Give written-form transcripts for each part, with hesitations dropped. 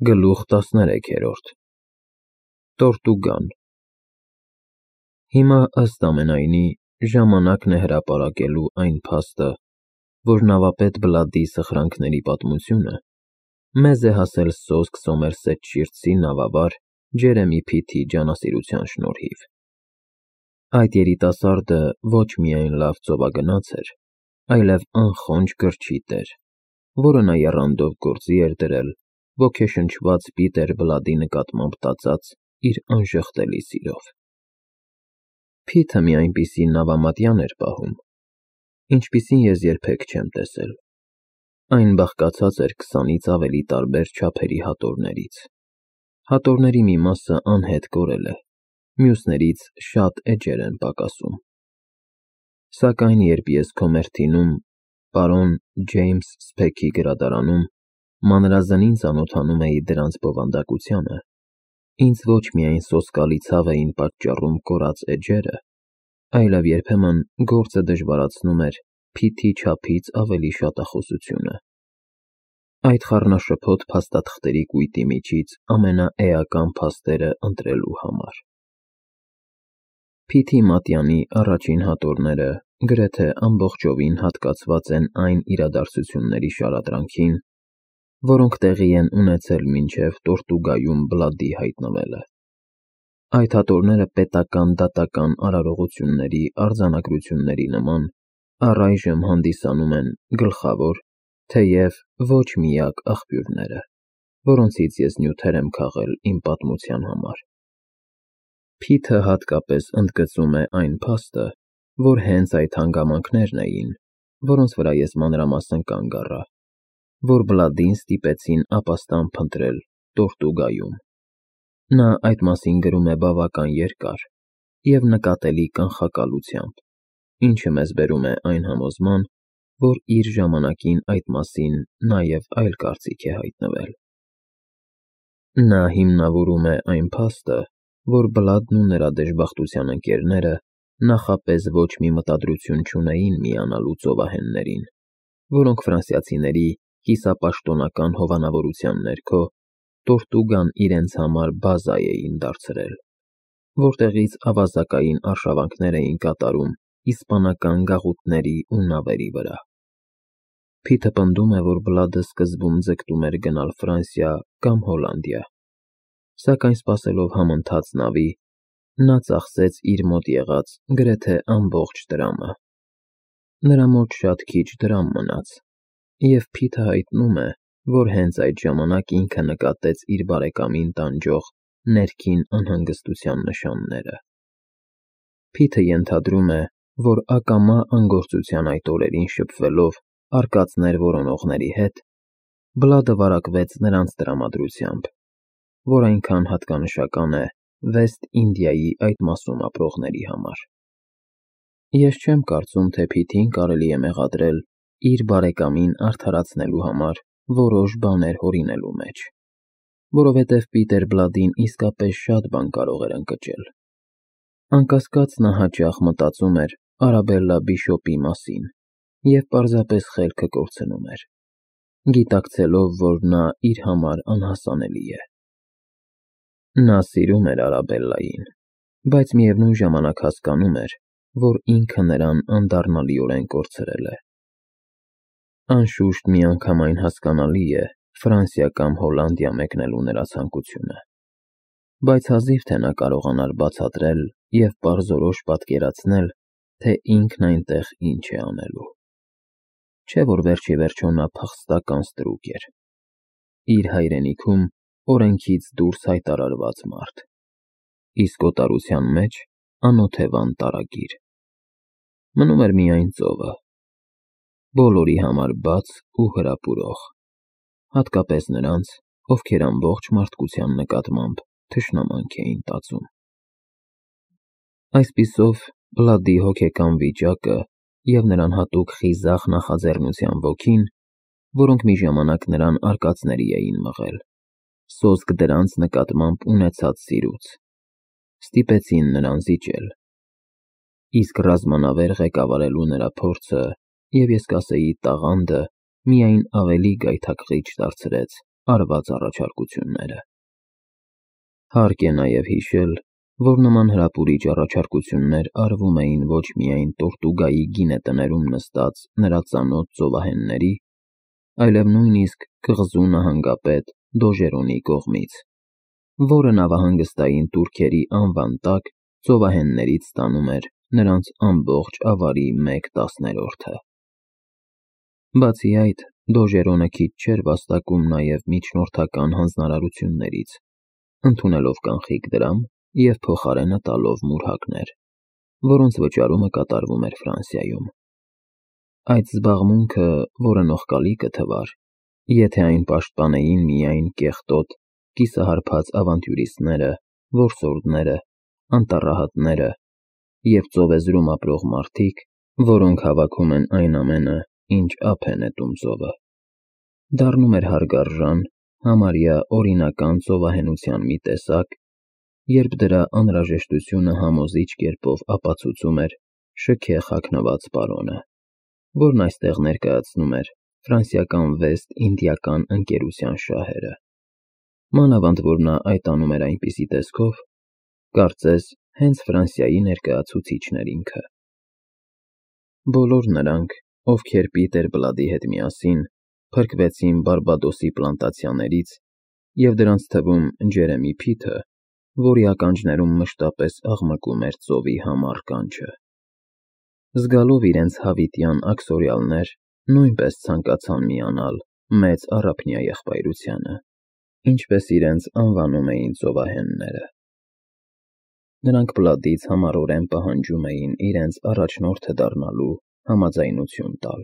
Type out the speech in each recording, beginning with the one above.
Գլուխ 13 Տորտուգան Հիմա ըստ ամենայնի ժամանակն է հրապարակելու այն փաստը, որ նավապետ Բլադի սխրանքների պատմությունը մեզ է հասել սոսկ Սոմերսեթշիրցի նավավար Ջերեմի Փիթի ջանասիրության շնորհիվ։ Այդ երիտասարդը ոչ միայն լավ ծովագնաց էր, այլև անխոնջ կրչիտ էր, որը նա եռանդով գործի էր դրել ոգեշնչված Պիտեր Բլադի նկատմամբ տածած իր անժխտելի սիրով։ Փիթը մի այնպիսի նավամատյան էր պահում, ինչպիսին ես երբեք չեմ տեսել։ Այն բաղկացած էր 20-ից ավելի տարբեր չափերի հատորներից։ Հատորների մի մասը անհետ կորել է, մյուսներից շատ էջեր են պակասում։ Սակայն երբ ես Քոմերթինում, պարոն Ջեյմս Սփեքի գրադարանում մանրազնին ծանոթանում էի դրանց բովանդակությանը, ինձ ոչ միայն սոսկալի ցավ էին պատճառում կորած էջերը, այլև երբեմն գործը դժվարացնում էր Փիթի չափից ավելի շատախոսությունը։ Այդ խառնաշփոթ փաստաթղթերի կույտի միջից ամենաէական փաստերը ընտրելու համար։ Փիթի մատյանի առաջին հատորները գրեթե ամբողջովին հատկացված են այն իրադարձությունների շարադրանքին, որոնք տեղի են ունեցել մինչև Տորտուգայում Բլադի հայտնվելը։ Այդ հատորները պետական-դատական արարողությունների արձանագրությունների նման առայժմ հանդիսանում են գլխավոր, թեև ոչ միակ աղբյուրները, որոնցից ես նյութեր եմ քաղել իմ պատմության համար։ Փիթը հատկապես ընդգծում է այն փաստը, որ հենց այդ հանգամանքներն էին, որոնց վրա ես մանրամասն կանգ առա, որ Բլադին ստիպեցին ապաստան փնտրել Տորտուգայում։ Նա այդ մասին գրում է բավական երկար և նկատելի կանխակալությամբ, ինչը մեզ բերում է այն համոզման, որ իր ժամանակին այդ մասին նաև այլ կարծիք է հայտնվել։ Նա հիմնավորում է այն փաստը, որ Բլադն ու նրա դժբախտության ընկերները նախապես ոչ մի մտադրություն չունեին միանալու ծովահեններին, որոնք ֆրանսիացիների կիսապաշտոնական հովանավորության ներքո Տորտուգան իրենց համար բազա էին դարձրել, որտեղից ավազակային արշավանքներ էին կատարում իսպանական գաղութների ու նավերի վրա։ Փիթը պնդում է, որ Բլադը սկզբում ձգտում էր գնալ Ֆրանսիա կամ Հոլանդիա, սակայն սպասելով համընթաց նավի, նա ծախսեց իր մոտ եղած գրեթե ամբողջ տրամը։ Նրա մոտ շատ քիչ դրամ մնաց, և Փիթը հայտնում է, որ հենց այդ ժամանակ ինքը նկատեց իր բարեկամին տանջող ներքին անհանգստության նշանները։ Փիթը ենթադրում է, որ ակամա անգործության այդ օրերին շփվելով արկածներ որոնողների հետ, Բլադը վարակվեց նրանց տրամադրությամբ, որ այնքան հատկանշական է Վեստ Ինդիայի այդ մասում ապրողների համար։ Ես չեմ կարծում, թե Փիթին կարելի է մեղադրել իր բարեկամին արդարացնելու համար որոշ բաներ հորինելու մեջ, որովհետև Պիտեր Բլադին իսկապես շատ բան կարող էր ընկճել։ Անկասկած նա հաճախ մտածում էր Արաբելլա Բիշոպի մասին և պարզապես խելքը կորցնում էր, գիտակցելով, որ նա իր համար անհասանելի է։ Նա սիրում էր Արաբելլային, բայց միևնույն ժամանակ հասկանում էր, որ ինքը նրան անդառնալիորեն կորցրել է։ Անշուշտ միանգամայն հասկանալի է Ֆրանսիա կամ Հոլանդիա մեկնելու նրա ցանկությունը, բայց հազիվ թե նա կարողանար բացատրել և պարզորոշ պատկերացնել, թե ինքն այնտեղ ինչ է անելու։ Չէ՞ որ վերջ ի վերջո նա փախստական ստրուկ էր, իր հայրենիքում օրենքից դուրս հայտարարված մարդ, իսկ օտարության մեջ անօթևան տարագիր։ Մնում էր միայն ծովը, բոլորի համար բաց ու հրապուրող, հատկապես նրանց, ովքեր ամբողջ մարդկության նկատմամբ թշնամանք էին տածում։ Այսպիսով, Բլադի հոգեկան վիճակը և նրան հատուկ խիզախ նախաձեռնության ոգին, որոնք մի ժամանակ նրան արկածների էին մղել, սոսկ դրանց նկատմամբ ունեցած սիրուց, ստիպեցին նրան զիջել։ Իսկ ռազմանավեր ղեկավարելու նրա փորձը և ես կասեի տաղանդը միայն ավելի գայթակղիչ դարձրեց արված առաջարկությունները։ Հարկ է նաև հիշել, որ նման հրապուրիչ առաջարկություններ արվում էին ոչ միայն Տորտուգայի գինետներում նստած նրա ծանոթ ծովահենների, այլև նույնիսկ կղզու նահանգապետ Դոժերոնի կողմից, որը նավահանգստային տուրքերի անվան տակ ծովահեններից ստանում էր նրանց ամբողջ ավարի 1/10-ը։ Բացի այդ, Դոժերոնը քիչ չէր վաստակում նաև միջնորդական հանձնարարություններից, ընդունելով կանխիկ դրամ և փոխարենը տալով մուրհակներ, որոնց վճարումը կատարվում էր Ֆրանսիայում։ Այդ զբաղմունքը, որը նողկալի կթվար, եթե այն պաշտպանեին միայն կեղտոտ, կիսահարբած ավանտյուրիստները, որսորդները, անտառահատները և ծովեզրում ապրող մարդիկ, որոնք հավաքում են այն ամենը, ինչ ափ է նետում ծովը, դառնում էր հարգարժան, համարյա օրինական ծովահենության մի տեսակ, երբ դրա անհրաժեշտությունը համոզիչ կերպով ապացուցում էր շքեղ հագնված պարոնը, որն այստեղ ներկայացնում էր ֆրանսիական Վեստ-Ինդիական ընկերության շահերը, մանավանդ որ նա այդ անում էր այնպիսի տեսքով, կարծես հենց Ֆրանսիայի ներկայացուցիչն էր ինքը։ Բոլոր նրանք, ովքեր Պիտեր Բլադի հետ միասին փրկվեցին Բարբադոսի պլանտացիաներից և դրանց թվում Ջերեմի Փիթը, որի ականջներում մշտապես աղմկում էր ծովի համառ կանչը, զգալով իրենց հավիտյան աքսորյալներ, նույնպես ցանկացան միանալ մեծ առափնյա եղբայրությանը, ինչպես իրենց անվանում էին ծովահենները։ Նրանք Բլադից համառորեն պահանջում էին իրենց առաջնորդը դառնալու համաձայնություն տալ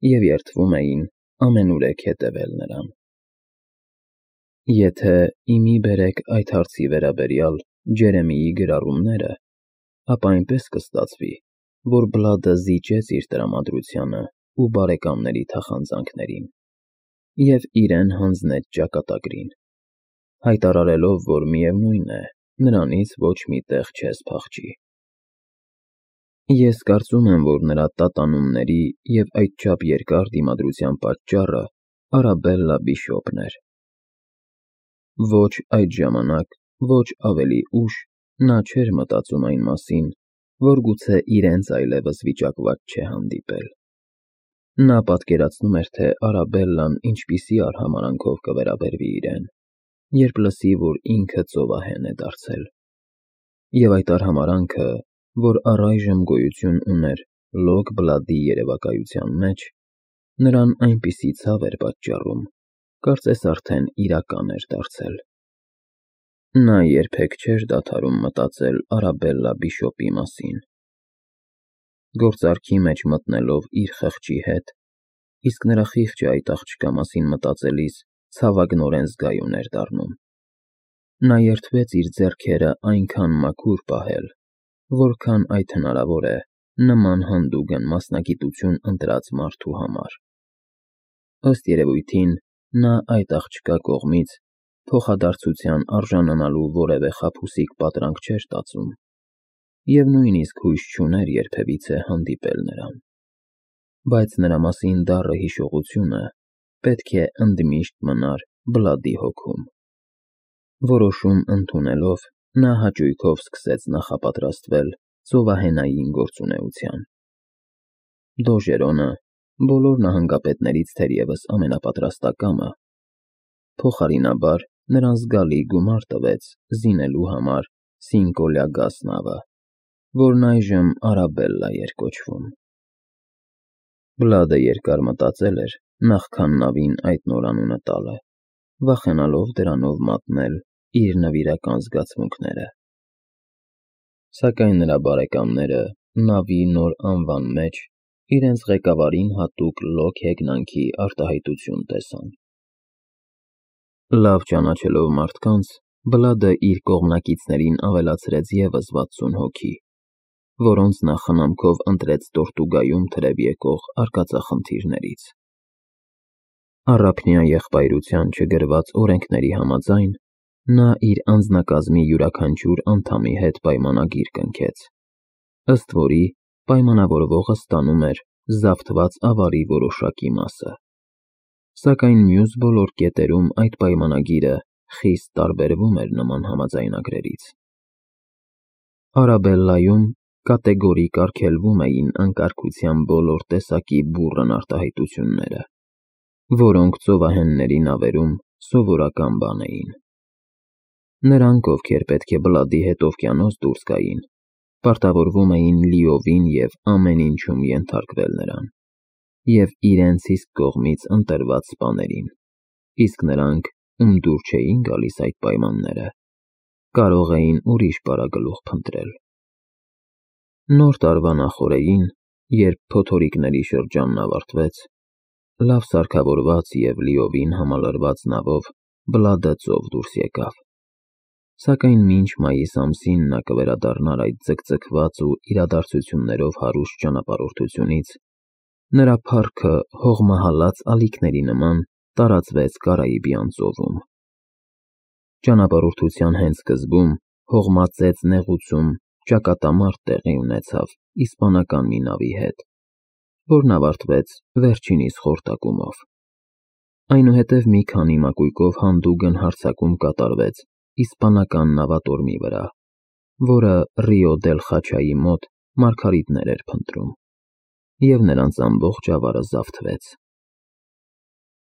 և երդվում էին ամենուրեք հետևել նրան։ Եթե իմի բերեք այդ հարցի վերաբերյալ Ջերեմիի գրառումները, ապա այնպես կստացվի, որ Բլադը զիջեց իր տրամադրությանը ու բարեկամների թախանձանքներին և իրեն հանձնեց ճակատագրին, հայտարարելով, որ միևնույն է, նրանից ոչ մի տեղ չես փախչի։ Ես կարծում եմ, որ նրա տատանումների և այդչափ երկար դիմադրության պատճառը Արաբելլա Բիշոպն էր։ Ոչ այդ ժամանակ, ոչ ավելի ուշ նա չէր մտածում այն մասին, որ գուցե իրենց այլևս վիճակված չէ հանդիպել։ Նա պատկերացնում էր, թե Արաբելլան ինչպիսի արհամարհանքով կվերաբերվի իրեն, երբ լսի, որ ինքը ծովահեն է դարձել, և այդ արհամարհանքը, որ առայժմ գոյություն ուներ Լոկ Բլադի երևակայության մեջ, նրան այնպիսի ցավ էր պատճառում, կարծես արդեն իրական էր դարձել։ Նա երբեք չէր դադարում մտածել Արաբելլա Բիշոպի մասին։ Գործարքի մեջ մտնելով իր խղճի հետ, իսկ նրա խիղճը այդ աղջկա մասին մտածելիս ցավագնորեն զգայուն էր դառնում, նա երդվեց իր ձեռքերը այնքան մաքուր պահել, որքան այդ հնարավոր է նման հանդուգն մասնագիտություն ընտրած մարդու համար։ Ըստ երևույթին, նա այդ աղջկա կողմից փոխադարձության արժանանալու որևէ խաբուսիկ պատրանք չէր ստացում և նույնիսկ հույս չուներ երբևիցե հանդիպել նրան, բայց նրա մասին դառը հիշողությունը պետք է ընդմիշտ մնար Բլադի հոգում։ Որոշում ընդունելով, նա հաճույքով սկսեց նախապատրաստվել ծովահենային գործունեության։ Դոժերոնը, բոլոր նահանգապետներից թերևս ամենապատրաստակամը, փոխարինաբար նրան զգալի գումար տվեց զինելու համար Սինկոլյագաս նավը, որն այժմ Արաբելլա էր կոչվում։ Բլադը երկար մտածել էր նախքան նավին այդ նորանունը տալը, վախենալով դրանով մատնել իր նվիրական զգացմունքները։ Սակայն նրա բարեկամները նավի նոր անվան մեջ իրենց ղեկավարին հատուկ լոկ հեգնանքի արտահայտություն տեսան։ Լավ ճանաչելով մարդկանց, Բլադը իր կողմնակիցներին ավելացրեց ևս 60 հոգի, որոնց նա խնամքով ընտրեց Տորտուգայում թրև եկող արկածախնդիրներից։ Առափնյա եղբայրության չգրված օրենքների համաձայն, նա իր անձնակազմի յուրաքանչյուր անդամի հետ պայմանագիր կնքեց, ըստ որի պայմանավորվողը ստանում էր զավթված ավարի որոշակի մասը։ Սակայն մյուս բոլոր կետերում այդ պայմանագիրը խիստ տարբերվում էր նման համաձայնագրերից։ Արաբելլայում կատեգորիկ արգելվում էին անկարգության բոլոր տեսակի բուռն արտահայտությունները, որոնք ծովահենների նավերում սովորական բան էին։ Նրանք, ովքեր պետք է բլադի հետ օվկիանոս դուրս գային, պարտավորվում էին լիովին և ամեն ինչում ենթարկվել նրան և իրենց իսկ կողմից ընտրված սպաներին, իսկ նրանք, ում դուր չէին գալիս այդ պայմանները, կարող էին ուրիշ պարագլուխ փնտրել։ Նոր տարվա նախօրեին, երբ փոթորիկների շրջանն ավարտվեց, լավ սարքավորված և լիովին համալրված նավով բլադը ծով դուրս եկավ։ Սակայն մինչ մայիս ամսին նա կվերադառնար այդ ձգձգված ու իրադարձություններով հարուստ ճանապարհորդությունից, նրա փառքը հողմահալած ալիքների նման տարածվեց Կարիբյան ծովում։ Ճանապարհորդության հենց սկզբում հողմածեց նեղուցում ճակատամարտ տեղի ունեցավ իսպանական մի նավի հետ, որն ավարտվեց վերջինիս խորտակումով։ Այնուհետև մի քանի մակույկով հանդուգն հարձակում կատարվեց իսպանական նավատորմի վրա, որը Ռիո դել Խաչայի մոտ մարգարիտներ էր փնտրում, և նրանց ամբողջ ավարը զավթվեց։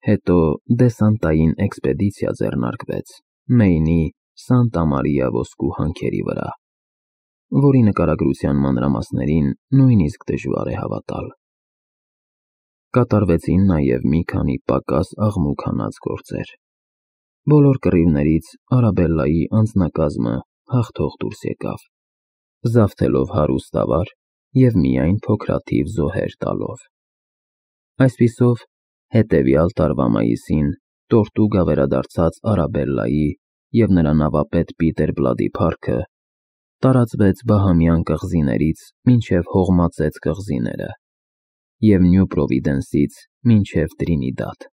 Հետո դեսանտային էքսպեդիցիա ձեռնարկվեց Մեյնի Սանտա Մարիա ոսկու հանքերի վրա, որի նկարագրության մանրամասներին նույնիսկ դժվար է հավատալ։ Կատարվեցին նաև մի քանի պակաս աղմուկ հանած գործեր։ Բոլոր կռիվներից Արաբելլայի անձնակազմը հաղթող դուրս եկավ, զավթելով հարուստ ավար և միայն փոքրաթիվ զոհեր տալով։ Այսպիսով, հետևյալ տարվա մայիսին Տորտուգա վերադարձած Արաբելլայի և նրա նավապետ Պիտեր Բլադի փառքը տարածվեց Բահամյան կղզիներից մինչև Հողմածեց կղզիները և Նյու Պրովիդենսից մինչև Տրինիդադ։